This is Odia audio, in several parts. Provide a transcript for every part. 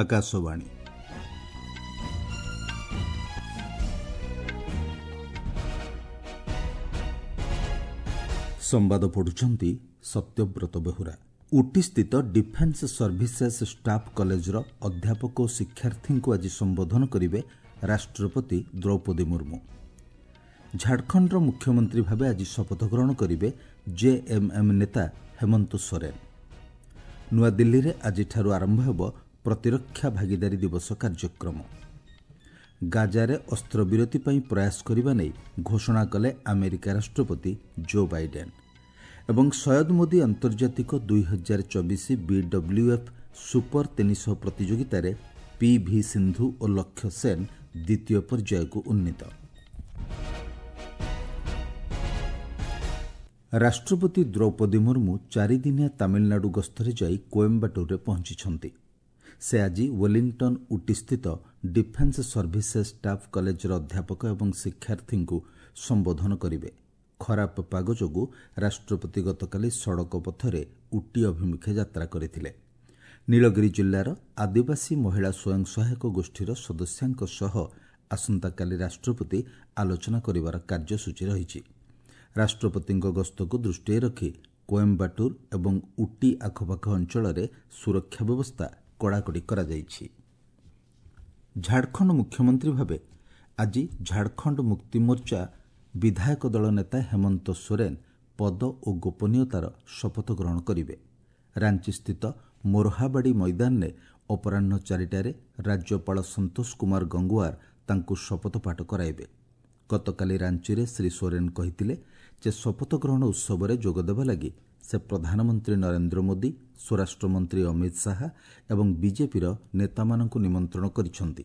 ଆକାଶବାଣୀ। ସମ୍ବାଦ ପଢୁଛନ୍ତି ସତ୍ୟବ୍ରତ ବେହୁରା। ଉଟିସ୍ଥିତ ଡିଫେନ୍ସ ସର୍ଭିସେସ୍ ଷ୍ଟାଫ୍ କଲେଜର ଅଧ୍ୟାପକ ଓ ଶିକ୍ଷାର୍ଥୀଙ୍କୁ ଆଜି ସମ୍ବୋଧନ କରିବେ ରାଷ୍ଟ୍ରପତି ଦ୍ରୌପଦୀ ମୁର୍ମୁ। ଝାଡ଼ଖଣ୍ଡର ମୁଖ୍ୟମନ୍ତ୍ରୀ ଭାବେ ଆଜି ଶପଥ ଗ୍ରହଣ କରିବେ ଜେଏମ୍ଏମ୍ ନେତା ହେମନ୍ତ ସୋରେନ। ନୂଆଦିଲ୍ଲୀରେ ଆଜିଠାରୁ ଆରମ୍ଭ ହେବ ପ୍ରତିରକ୍ଷା ଭାଗିଦାରୀ ଦିବସ କାର୍ଯ୍ୟକ୍ରମ। ଗାଜାରେ ଅସ୍ତ୍ରବିରତି ପାଇଁ ପ୍ରୟାସ କରିବା ନେଇ ଘୋଷଣା କଲେ ଆମେରିକା ରାଷ୍ଟ୍ରପତି ଜୋ ବାଇଡେନ୍। ଏବଂ ସୟଦ ମୋଦି ଆନ୍ତର୍ଜାତିକ 2024 ବିଡବ୍ଲ୍ୟୁଏଫ୍ ସୁପର 300 ପ୍ରତିଯୋଗିତାରେ ପି ଭି ସିନ୍ଧୁ ଓ ଲକ୍ଷ୍ୟ ସେନ୍ ଦ୍ୱିତୀୟ ପର୍ଯ୍ୟାୟକୁ ଉନ୍ନୀତ। ରାଷ୍ଟ୍ରପତି ଦ୍ରୌପଦୀ ମୁର୍ମୁ ଚାରିଦିନିଆ ତାମିଲନାଡୁ ଗସ୍ତରେ ଯାଇ କୋଏମ୍ବାଟୁରରେ ପହଞ୍ଚିଛନ୍ତି। ସେ ଆଜି ୱେଲିଂଟନ୍ ଉଟିସ୍ଥିତ ଡିଫେନ୍ସ ସର୍ଭିସେସ୍ ଷ୍ଟାଫ୍ କଲେଜର ଅଧ୍ୟାପକ ଏବଂ ଶିକ୍ଷାର୍ଥୀଙ୍କୁ ସମ୍ବୋଧନ କରିବେ। ଖରାପ ପାଗ ଯୋଗୁଁ ରାଷ୍ଟ୍ରପତି ଗତକାଲି ସଡ଼କ ପଥରେ ଉଟି ଅଭିମୁଖେ ଯାତ୍ରା କରିଥିଲେ। ନୀଳଗିରି ଜିଲ୍ଲାର ଆଦିବାସୀ ମହିଳା ସ୍ୱୟଂ ସହାୟକ ଗୋଷ୍ଠୀର ସଦସ୍ୟାଙ୍କ ସହ ଆସନ୍ତାକାଲି ରାଷ୍ଟ୍ରପତି ଆଲୋଚନା କରିବାର କାର୍ଯ୍ୟସୂଚୀ ରହିଛି। ରାଷ୍ଟ୍ରପତିଙ୍କ ଗସ୍ତକୁ ଦୃଷ୍ଟିରେ ରଖି କୋଏମ୍ବାଟୁର ଏବଂ ଉଟି ଆଖପାଖ ଅଞ୍ଚଳରେ ସୁରକ୍ଷା ବ୍ୟବସ୍ଥା କଡ଼ାକଡ଼ି କରାଯାଇଛି। ଝାଡ଼ଖଣ୍ଡ ମୁଖ୍ୟମନ୍ତ୍ରୀ ଭାବେ ଆଜି ଝାଡ଼ଖଣ୍ଡ ମୁକ୍ତିମୋର୍ଚ୍ଚା ବିଧାୟକ ଦଳ ନେତା ହେମନ୍ତ ସୋରେନ ପଦ ଓ ଗୋପନୀୟତାର ଶପଥ ଗ୍ରହଣ କରିବେ। ରାଞ୍ଚିସ୍ଥିତ ମୋରହାବାଡ଼ି ମଇଦାନରେ ଅପରାହ୍ନ 4ଟାରେ ରାଜ୍ୟପାଳ ସନ୍ତୋଷ କୁମାର ଗଙ୍ଗୱାର ତାଙ୍କୁ ଶପଥ ପାଠ କରାଇବେ। ଗତକାଲି ରାଞ୍ଚିରେ ଶ୍ରୀ ସୋରେନ କହିଥିଲେ ଯେ ଶପଥ ଗ୍ରହଣ ଉତ୍ସବରେ ଯୋଗଦେବା ଲାଗି ସେ ପ୍ରଧାନମନ୍ତ୍ରୀ ନରେନ୍ଦ୍ର ମୋଦି, ସ୍ୱରାଷ୍ଟ୍ରମନ୍ତ୍ରୀ ଅମିତ ଶାହା ଏବଂ ବିଜେପିର ନେତାମାନଙ୍କୁ ନିମନ୍ତ୍ରଣ କରିଛନ୍ତି।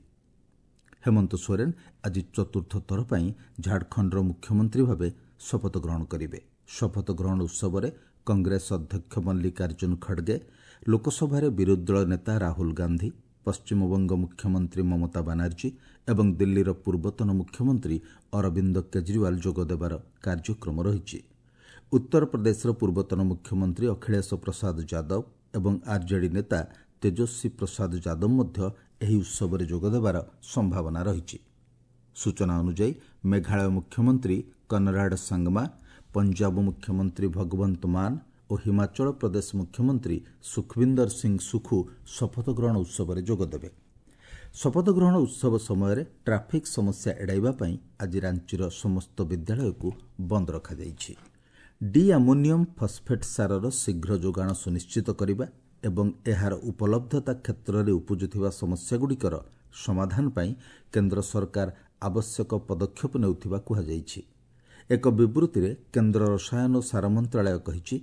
ହେମନ୍ତ ସୋରେନ ଆଜି ଚତୁର୍ଥ ଥର ପାଇଁ ଝାଡ଼ଖଣ୍ଡର ମୁଖ୍ୟମନ୍ତ୍ରୀ ଭାବେ ଶପଥ ଗ୍ରହଣ କରିବେ। ଶପଥ ଗ୍ରହଣ ଉତ୍ସବରେ କଂଗ୍ରେସ ଅଧ୍ୟକ୍ଷ ମଲ୍ଲିକାର୍ଜୁନ ଖଡ଼ଗେ, ଲୋକସଭାରେ ବିରୋଧୀ ଦଳ ନେତା ରାହୁଲ ଗାନ୍ଧୀ, ପଶ୍ଚିମବଙ୍ଗ ମୁଖ୍ୟମନ୍ତ୍ରୀ ମମତା ବାନାର୍ଜୀ ଏବଂ ଦିଲ୍ଲୀର ପୂର୍ବତନ ମୁଖ୍ୟମନ୍ତ୍ରୀ ଅରବିନ୍ଦ କେଜରିୱାଲ ଯୋଗଦେବାର କାର୍ଯ୍ୟକ୍ରମ ରହିଛି। ଉତ୍ତରପ୍ରଦେଶର ପୂର୍ବତନ ମୁଖ୍ୟମନ୍ତ୍ରୀ ଅଖିଳେଶ ପ୍ରସାଦ ଯାଦବ ଏବଂ ଆର୍ଜେଡି ନେତା ତେଜସ୍ୱୀ ପ୍ରସାଦ ଯାଦବ ମଧ୍ୟ ଏହି ଉତ୍ସବରେ ଯୋଗଦେବାର ସମ୍ଭାବନା ରହିଛି। ସୂଚନା ଅନୁଯାୟୀ ମେଘାଳୟ ମୁଖ୍ୟମନ୍ତ୍ରୀ କନରାଡ ସାଙ୍ଗମା, ପଞ୍ଜାବ ମୁଖ୍ୟମନ୍ତ୍ରୀ ଭଗବନ୍ତ ମାନ ଓ ହିମାଚଳ ପ୍ରଦେଶ ମୁଖ୍ୟମନ୍ତ୍ରୀ ସୁଖବିନ୍ଦର ସିଂ ସୁଖୁ ଶପଥ ଗ୍ରହଣ ଉତ୍ସବରେ ଯୋଗଦେବେ। ଶପଥ ଗ୍ରହଣ ଉତ୍ସବ ସମୟରେ ଟ୍ରାଫିକ୍ ସମସ୍ୟା ଏଡ଼ାଇବା ପାଇଁ ଆଜି ରାଞ୍ଚିର ସମସ୍ତ ବିଦ୍ୟାଳୟକୁ ବନ୍ଦ ରଖାଯାଇଛି। ଡି ଆମୋନିୟମ୍ ଫସ୍ଫେଟ୍ ସାରର ଶୀଘ୍ର ଯୋଗାଣ ସୁନିଶ୍ଚିତ କରିବା ଏବଂ ଏହାର ଉପଲବ୍ଧତା କ୍ଷେତ୍ରରେ ଉପୁଜୁଥିବା ସମସ୍ୟାଗୁଡ଼ିକର ସମାଧାନ ପାଇଁ କେନ୍ଦ୍ର ସରକାର ଆବଶ୍ୟକ ପଦକ୍ଷେପ ନେଉଥିବା କୁହାଯାଇଛି। ଏକ ବିବୃତିରେ କେନ୍ଦ୍ର ରସାୟନ ଓ ସାର ମନ୍ତ୍ରଣାଳୟ କହିଛି,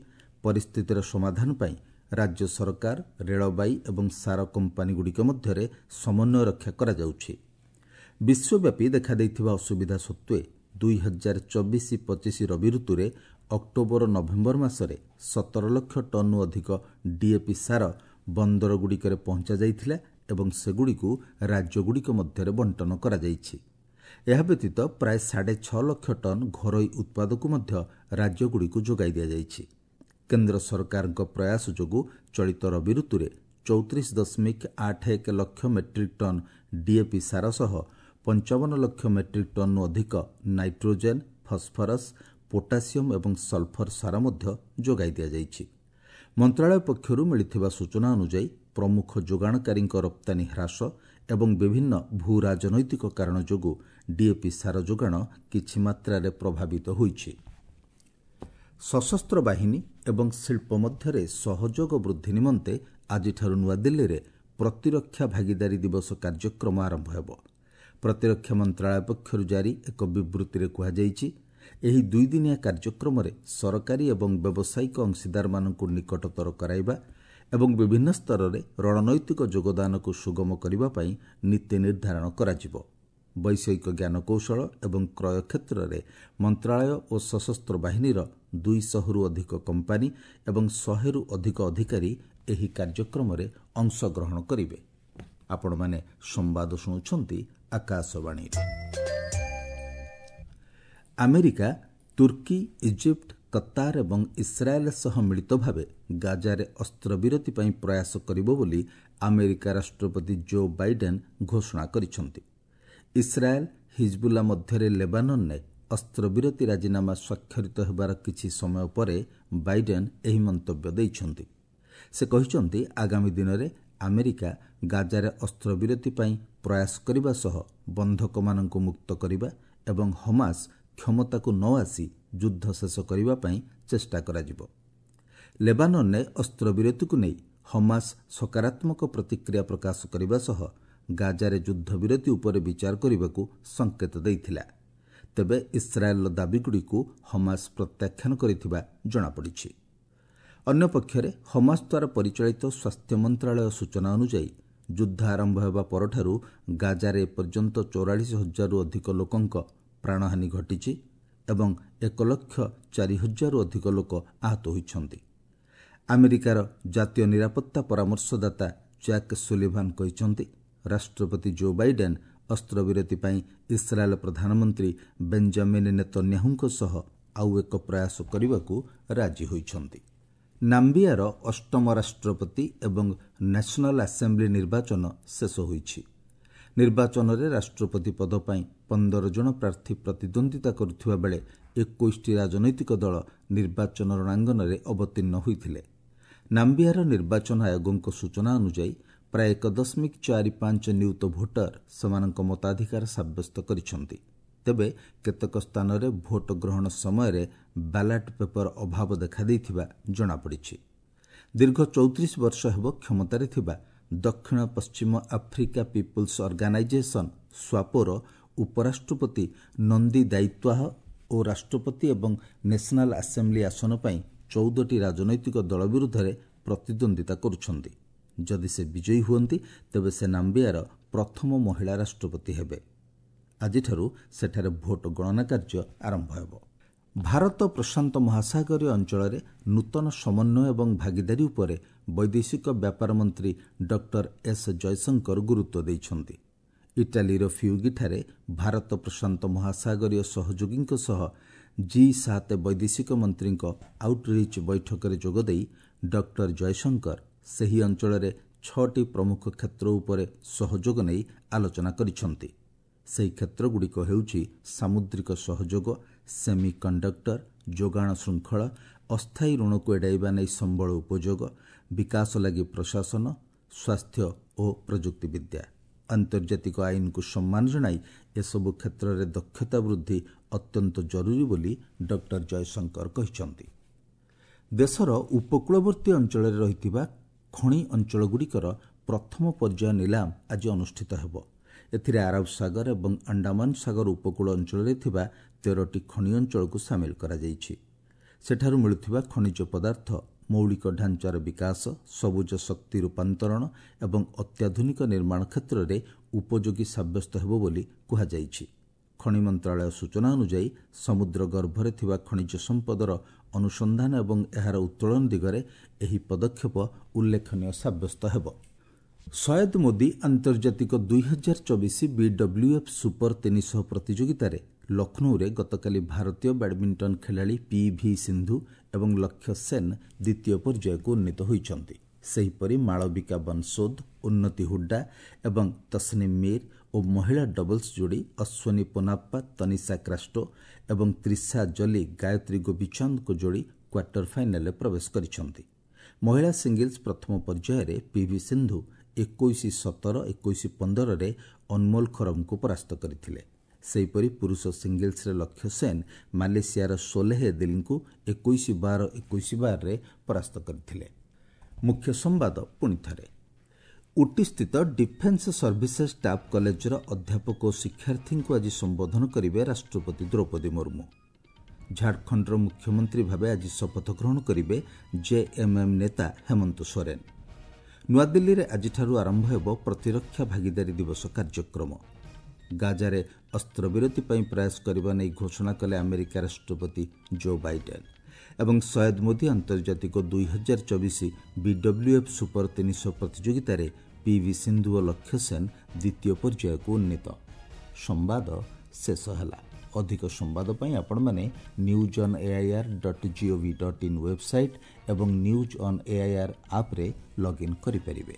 ପରିସ୍ଥିତିର ସମାଧାନ ପାଇଁ ରାଜ୍ୟ ସରକାର, ରେଳବାଇ ଏବଂ ସାର କମ୍ପାନୀଗୁଡ଼ିକ ମଧ୍ୟରେ ସମନ୍ୱୟ ରକ୍ଷା କରାଯାଉଛି। ବିଶ୍ୱବ୍ୟାପୀ ଦେଖାଦେଇଥିବା ଅସୁବିଧା ସତ୍ତ୍ୱେ 2024-25 ରବି ଋତୁରେ ଅକ୍ଟୋବର ନଭେମ୍ବର ମାସରେ 17 ଲକ୍ଷ ଟନ୍ରୁ ଅଧିକ ଡିଏପି ସାର ବନ୍ଦରଗୁଡ଼ିକରେ ପହଞ୍ଚାଯାଇଥିଲା ଏବଂ ସେଗୁଡ଼ିକୁ ରାଜ୍ୟଗୁଡ଼ିକ ମଧ୍ୟରେ ବଣ୍ଟନ କରାଯାଇଛି। ଏହା ବ୍ୟତୀତ ପ୍ରାୟ 6.5 ଲକ୍ଷ ଟନ୍ ଘରୋଇ ଉତ୍ପାଦକୁ ମଧ୍ୟ ରାଜ୍ୟଗୁଡ଼ିକୁ ଯୋଗାଇ ଦିଆଯାଇଛି। କେନ୍ଦ୍ର ସରକାରଙ୍କ ପ୍ରୟାସ ଯୋଗୁଁ ଚଳିତ ରବି ଋତୁରେ 34.81 ଲକ୍ଷ ମେଟ୍ରିକ୍ ଟନ୍ ଡିଏପି ସାର ସହ 55 ଲକ୍ଷ ମେଟ୍ରିକ୍ ଟନ୍ରୁ ଅଧିକ ନାଇଟ୍ରୋଜେନ୍, ଫସ୍ଫରସ୍, ପୋଟାସିୟମ୍ ଏବଂ ସଲଫର ସାର ମଧ୍ୟ ଯୋଗାଇ ଦିଆଯାଇଛି। ମନ୍ତ୍ରଣାଳୟ ପକ୍ଷରୁ ମିଳିଥିବା ସୂଚନା ଅନୁଯାୟୀ ପ୍ରମୁଖ ଯୋଗାଣକାରୀଙ୍କ ରପ୍ତାନୀ ହ୍ରାସ ଏବଂ ବିଭିନ୍ନ ଭୂ ରାଜନୈତିକ କାରଣ ଯୋଗୁଁ ଡିଏପି ସାର ଯୋଗାଣ କିଛି ମାତ୍ରାରେ ପ୍ରଭାବିତ ହୋଇଛି। ସଶସ୍ତ୍ର ବାହିନୀ ଏବଂ ଶିଳ୍ପ ମଧ୍ୟରେ ସହଯୋଗ ବୃଦ୍ଧି ନିମନ୍ତେ ଆଜିଠାରୁ ନୂଆଦିଲ୍ଲୀରେ ପ୍ରତିରକ୍ଷା ଭାଗିଦାରୀ ଦିବସ କାର୍ଯ୍ୟକ୍ରମ ଆରମ୍ଭ ହେବ। ପ୍ରତିରକ୍ଷା ମନ୍ତ୍ରଣାଳୟ ପକ୍ଷରୁ ଜାରି ଏକ ବିବୃତିରେ କୁହାଯାଇଛି, ଏହି ଦୁଇଦିନିଆ କାର୍ଯ୍ୟକ୍ରମରେ ସରକାରୀ ଏବଂ ବ୍ୟବସାୟିକ ଅଂଶୀଦାରମାନଙ୍କୁ ନିକଟତର କରାଇବା ଏବଂ ବିଭିନ୍ନ ସ୍ତରରେ ରଣନୈତିକ ଯୋଗଦାନକୁ ସୁଗମ କରିବା ପାଇଁ ନୀତି ନିର୍ଦ୍ଧାରଣ କରାଯିବ। ବୈଷୟିକ ଜ୍ଞାନକୌଶଳ ଏବଂ କ୍ରୟ କ୍ଷେତ୍ରରେ ମନ୍ତ୍ରଣାଳୟ ଓ ସଶସ୍ତ୍ର ବାହିନୀର 200ରୁ ଅଧିକ କମ୍ପାନୀ ଏବଂ 100ରୁ ଅଧିକ ଅଧିକାରୀ ଏହି କାର୍ଯ୍ୟକ୍ରମରେ ଅଂଶଗ୍ରହଣ କରିବେ। ଆପଣମାନେ ସମ୍ବାଦ ଶୁଣୁଛନ୍ତି ଆକାଶବାଣୀରୁ। ଆମେରିକା, ତୁର୍କୀ, ଇଜିପ୍ଟ, କତାର ଏବଂ ଇସ୍ରାଏଲ୍ ସହ ମିଳିତ ଭାବେ ଗାଜାରେ ଅସ୍ତ୍ରବିରତି ପାଇଁ ପ୍ରୟାସ କରିବ ବୋଲି ଆମେରିକା ରାଷ୍ଟ୍ରପତି ଜୋ ବାଇଡେନ୍ ଘୋଷଣା କରିଛନ୍ତି। ଇସ୍ରାଏଲ୍ ହିଜବୁଲ୍ଲା ମଧ୍ୟରେ ଲେବାନନରେ ଅସ୍ତ୍ରବିରତି ରାଜିନାମା ସ୍ୱାକ୍ଷରିତ ହେବାର କିଛି ସମୟ ପରେ ବାଇଡେନ୍ ଏହି ମନ୍ତବ୍ୟ ଦେଇଛନ୍ତି। ସେ କହିଛନ୍ତି, ଆଗାମୀ ଦିନରେ ଆମେରିକା ଗାଜାରେ ଅସ୍ତ୍ରବିରତି ପାଇଁ ପ୍ରୟାସ କରିବା ସହ ବନ୍ଧକମାନଙ୍କୁ ମୁକ୍ତ କରିବା ଏବଂ ହମାସ କ୍ଷମତାକୁ ନ ଆସି ଯୁଦ୍ଧ ଶେଷ କରିବା ପାଇଁ ଚେଷ୍ଟା କରାଯିବ। ଲେବାନନରେ ଅସ୍ତ୍ରବିରତିକୁ ନେଇ ହମାସ ସକାରାତ୍ମକ ପ୍ରତିକ୍ରିୟା ପ୍ରକାଶ କରିବା ସହ ଗାଜାରେ ଯୁଦ୍ଧବିରତି ଉପରେ ବିଚାର କରିବାକୁ ସଙ୍କେତ ଦେଇଥିଲା। ତେବେ ଇସ୍ରାଏଲ୍ର ଦାବିଗୁଡ଼ିକୁ ହମାସ ପ୍ରତ୍ୟାଖ୍ୟାନ କରିଥିବା ଜଣାପଡ଼ିଛି। ଅନ୍ୟପକ୍ଷରେ ହମାସ ଦ୍ୱାରା ପରିଚାଳିତ ସ୍ୱାସ୍ଥ୍ୟ ମନ୍ତ୍ରଣାଳୟ ସୂଚନା ଅନୁଯାୟୀ ଯୁଦ୍ଧ ଆରମ୍ଭ ହେବା ପରଠାରୁ ଗାଜାରେ ଏପର୍ଯ୍ୟନ୍ତ 44,000ରୁ ଅଧିକ ଲୋକଙ୍କ ପ୍ରାଣହାନି ଘଟିଛି ଏବଂ 1,04,000ରୁ ଅଧିକ ଲୋକ ଆହତ ହୋଇଛନ୍ତି। ଆମେରିକାର ଜାତୀୟ ନିରାପତ୍ତା ପରାମର୍ଶଦାତା ଜ୍ୟାକ୍ ସୁଲିଭାନ୍ କହିଛନ୍ତି, ରାଷ୍ଟ୍ରପତି ଜୋ ବାଇଡେନ୍ ଅସ୍ତ୍ରବିରତି ପାଇଁ ଇସ୍ରାଏଲ୍ ପ୍ରଧାନମନ୍ତ୍ରୀ ବେଞ୍ଜାମିନ୍ ନେତନ୍ୟାହୁଙ୍କ ସହ ଆଉ ଏକ ପ୍ରୟାସ କରିବାକୁ ରାଜି ହୋଇଛନ୍ତି। ନାମ୍ବିଆର ଅଷ୍ଟମ ରାଷ୍ଟ୍ରପତି ଏବଂ ନ୍ୟାସନାଲ୍ ଆସେମ୍ବ୍ଲି ନିର୍ବାଚନ ଶେଷ ହୋଇଛି। ନିର୍ବାଚନରେ ରାଷ୍ଟ୍ରପତି ପଦ ପାଇଁ 15 ଜଣ ପ୍ରାର୍ଥୀ ପ୍ରତିଦ୍ୱନ୍ଦ୍ୱିତା କରୁଥିବା ବେଳେ 21ଟି ରାଜନୈତିକ ଦଳ ନିର୍ବାଚନ ରଣାଙ୍ଗନରେ ଅବତୀର୍ଣ୍ଣ ହୋଇଥିଲେ। ନାମ୍ବିଆର ନିର୍ବାଚନ ଆୟୋଗଙ୍କ ସୂଚନା ଅନୁଯାୟୀ ପ୍ରାୟ 1.45 ନିୟୁତ ଭୋଟର ସେମାନଙ୍କ ମତାଧିକାର ସାବ୍ୟସ୍ତ କରିଛନ୍ତି। ତେବେ କେତେକ ସ୍ଥାନରେ ଭୋଟ ଗ୍ରହଣ ସମୟରେ ବ୍ୟାଲଟ୍ ପେପର ଅଭାବ ଦେଖାଦେଇଥିବା ଜଣାପଡ଼ିଛି। ଦୀର୍ଘ 34 ବର୍ଷ ହେବ କ୍ଷମତାରେ ଥିବା ଦକ୍ଷିଣ ପଶ୍ଚିମ ଆଫ୍ରିକା ପିପୁଲ୍ସ ଅର୍ଗାନାଇଜେସନ୍ ସ୍ୱାପୋର ଉପରାଷ୍ଟ୍ରପତି ନନ୍ଦୀ ଦାୟିତ୍ୱାହ ଓ ରାଷ୍ଟ୍ରପତି ଏବଂ ନ୍ୟାସନାଲ୍ ଆସେମ୍ବ୍ଲି ଆସନ ପାଇଁ 14ଟି ରାଜନୈତିକ ଦଳ ବିରୁଦ୍ଧରେ ପ୍ରତିଦ୍ୱନ୍ଦ୍ୱିତା କରୁଛନ୍ତି। ଯଦି ସେ ବିଜୟୀ ହୁଅନ୍ତି ତେବେ ସେ ନାମ୍ବିଆର ପ୍ରଥମ ମହିଳା ରାଷ୍ଟ୍ରପତି ହେବେ। ଆଜିଠାରୁ ସେଠାରେ ଭୋଟ ଗଣନା କାର୍ଯ୍ୟ ଆରମ୍ଭ ହେବ। ଭାରତ ପ୍ରଶାନ୍ତ ମହାସାଗରୀୟ ଅଞ୍ଚଳରେ ନୂତନ ସମନ୍ୱୟ ଏବଂ ଭାଗିଦାରୀ ଉପରେ ବୈଦେଶିକ ବ୍ୟାପାର ମନ୍ତ୍ରୀ ଡକ୍ଟର ଏସ୍ ଜୟଶଙ୍କର ଗୁରୁତ୍ୱ ଦେଇଛନ୍ତି। ଇଟାଲୀର ଫିଉଗିଠାରେ ଭାରତ ପ୍ରଶାନ୍ତ ମହାସାଗରୀୟ ସହଯୋଗୀଙ୍କ ସହ G7 ବୈଦେଶିକ ମନ୍ତ୍ରୀଙ୍କ ଆଉଟରିଚ୍ ବୈଠକରେ ଯୋଗଦେଇ ଡକ୍ଟର ଜୟଶଙ୍କର ସେହି ଅଞ୍ଚଳରେ 6ଟି ପ୍ରମୁଖ କ୍ଷେତ୍ର ଉପରେ ସହଯୋଗ ନେଇ ଆଲୋଚନା କରିଛନ୍ତି। ସେହି କ୍ଷେତ୍ରଗୁଡ଼ିକ ହେଉଛି ସାମୁଦ୍ରିକ ସହଯୋଗ, ସେମି କଣ୍ଡକ୍ଟର, ଯୋଗାଣ ଶୃଙ୍ଖଳ, ଅସ୍ଥାୟୀ ଋଣକୁ ଏଡ଼ାଇବା ନେଇ ସମ୍ବଳ ଉପଯୋଗ, ବିକାଶ ଲାଗି ପ୍ରଶାସନ, ସ୍ୱାସ୍ଥ୍ୟ ଓ ପ୍ରଯୁକ୍ତିବିଦ୍ୟା। ଆନ୍ତର୍ଜାତିକ ଆଇନକୁ ସମ୍ମାନ ଜଣାଇ ଏସବୁ କ୍ଷେତ୍ରରେ ଦକ୍ଷତା ବୃଦ୍ଧି ଅତ୍ୟନ୍ତ ଜରୁରୀ ବୋଲି ଡକ୍ଟର ଜୟଶଙ୍କର କହିଛନ୍ତି। ଦେଶର ଉପକୂଳବର୍ତ୍ତୀ ଅଞ୍ଚଳରେ ରହିଥିବା ଖଣି ଅଞ୍ଚଳଗୁଡ଼ିକର ପ୍ରଥମ ପର୍ଯ୍ୟାୟ ନିଲାମ ଆଜି ଅନୁଷ୍ଠିତ ହେବ। ଏଥିରେ ଆରବ ସାଗର ଏବଂ ଆଣ୍ଡାମାନ ସାଗର ଉପକୂଳ ଅଞ୍ଚଳରେ ଥିବା 13ଟି ଖଣି ଅଞ୍ଚଳକୁ ସାମିଲ କରାଯାଇଛି। ସେଠାରୁ ମିଳୁଥିବା ଖଣିଜ ପଦାର୍ଥ ମୌଳିକ ଢାଞ୍ଚାର ବିକାଶ, ସବୁଜ ଶକ୍ତି ରୂପାନ୍ତରଣ ଏବଂ ଅତ୍ୟାଧୁନିକ ନିର୍ମାଣ କ୍ଷେତ୍ରରେ ଉପଯୋଗୀ ସାବ୍ୟସ୍ତ ହେବ ବୋଲି କୁହାଯାଇଛି। ଖଣି ମନ୍ତ୍ରଣାଳୟ ସୂଚନା ଅନୁଯାୟୀ ସମୁଦ୍ର ଗର୍ଭରେ ଥିବା ଖଣିଜ ସମ୍ପଦର ଅନୁସନ୍ଧାନ ଏବଂ ଏହାର ଉତ୍ତୋଳନ ଦିଗରେ ଏହି ପଦକ୍ଷେପ ଉଲ୍ଲେଖନୀୟ ସାବ୍ୟସ୍ତ ହେବ। ସୟଦ ମୋଦି ଆନ୍ତର୍ଜାତିକ 2024 BWF super 300 ପ୍ରତିଯୋଗିତାରେ ଲକ୍ଷ୍ନୌରେ ଗତକାଲି ଭାରତୀୟ ବ୍ୟାଡମିଣ୍ଟନ ଖେଳାଳି ପିଭି ସିନ୍ଧୁ ଏବଂ ଲକ୍ଷ୍ୟ ସେନ୍ ଦ୍ୱିତୀୟ ପର୍ଯ୍ୟାୟକୁ ଉନ୍ନୀତ ହୋଇଛନ୍ତି। ସେହିପରି ମାଳବିକା ବନସୋଦ, ଉନ୍ନତି ହୁଡ୍ଡା ଏବଂ ତସନିମ୍ ମୀର ଓ ମହିଳା ଡବଲ୍ସ ଯୋଡ଼ି ଅଶ୍ୱିନୀ ପୋନାପ୍ପା, ତନିଷା କ୍ରାଷ୍ଟୋ ଏବଂ ତ୍ରିଷା ଜଲି ଗାୟତ୍ରୀ ଗୋପୀଚାନ୍ଦଙ୍କ ଯୋଡ଼ି କ୍ୱାର୍ଟର ଫାଇନାଲରେ ପ୍ରବେଶ କରିଛନ୍ତି। ମହିଳା ସିଙ୍ଗଲ୍ସ ପ୍ରଥମ ପର୍ଯ୍ୟାୟରେ ପିଭି ସିନ୍ଧୁ 21-17, 21-15ରେ ଅନମୋଲ ଖରମଙ୍କୁ ପରାସ୍ତ କରିଥିଲେ। ସେହିପରି ପୁରୁଷ ସିଙ୍ଗଲ୍ସରେ ଲକ୍ଷ୍ୟ ସେନ୍ ମାଲେସିଆର ସୋଲେହ ଏଦିଲଙ୍କୁ 21-12, 21-12ରେ ପରାସ୍ତ କରିଥିଲେ। ମୁଖ୍ୟ ସମ୍ବାଦ ପୁଣିଥରେ। ଉଟିସ୍ଥିତ ଡିଫେନ୍ସ ସର୍ଭିସେସ୍ ଷ୍ଟାଫ୍ କଲେଜର ଅଧ୍ୟାପକ ଓ ଶିକ୍ଷାର୍ଥୀଙ୍କୁ ଆଜି ସମ୍ବୋଧନ କରିବେ ରାଷ୍ଟ୍ରପତି ଦ୍ରୌପଦୀ ମୁର୍ମୁ। ଝାଡ଼ଖଣ୍ଡର ମୁଖ୍ୟମନ୍ତ୍ରୀ ଭାବେ ଆଜି ଶପଥ ଗ୍ରହଣ କରିବେ ଜେଏମ୍ଏମ୍ ନେତା ହେମନ୍ତ ସୋରେନ୍। ନୂଆଦିଲ୍ଲୀରେ ଆଜିଠାରୁ ଆରମ୍ଭ ହେବ ପ୍ରତିରକ୍ଷା ଭାଗିଦାରୀ ଦିବସ କାର୍ଯ୍ୟକ୍ରମ। ଗାଜାରେ ଅସ୍ତ୍ରବିରତି ପାଇଁ ପ୍ରୟାସ କରିବା ନେଇ ଘୋଷଣା କଲେ ଆମେରିକା ରାଷ୍ଟ୍ରପତି ଜୋ ବାଇଡେନ୍। ଏବଂ ସୟଦ ମୋଦି ଆନ୍ତର୍ଜାତିକ 2024 BWF super 300 ପ୍ରତିଯୋଗିତାରେ ପିଭି ସିନ୍ଧୁ ଓ ଲକ୍ଷ୍ୟ ସେନ୍ ଦ୍ୱିତୀୟ ପର୍ଯ୍ୟାୟକୁ ଉନ୍ନୀତ। ସମ୍ବାଦ ଶେଷ ହେଲା। ଅଧିକ ସମ୍ବାଦ ପାଇଁ ଆପଣମାନେ news on air.gov.in website ଏବଂ ନ୍ୟୁଜ୍ ଅନ୍ AIR ଆପ୍ରେ ଲଗ୍ଇନ୍ କରିପାରିବେ।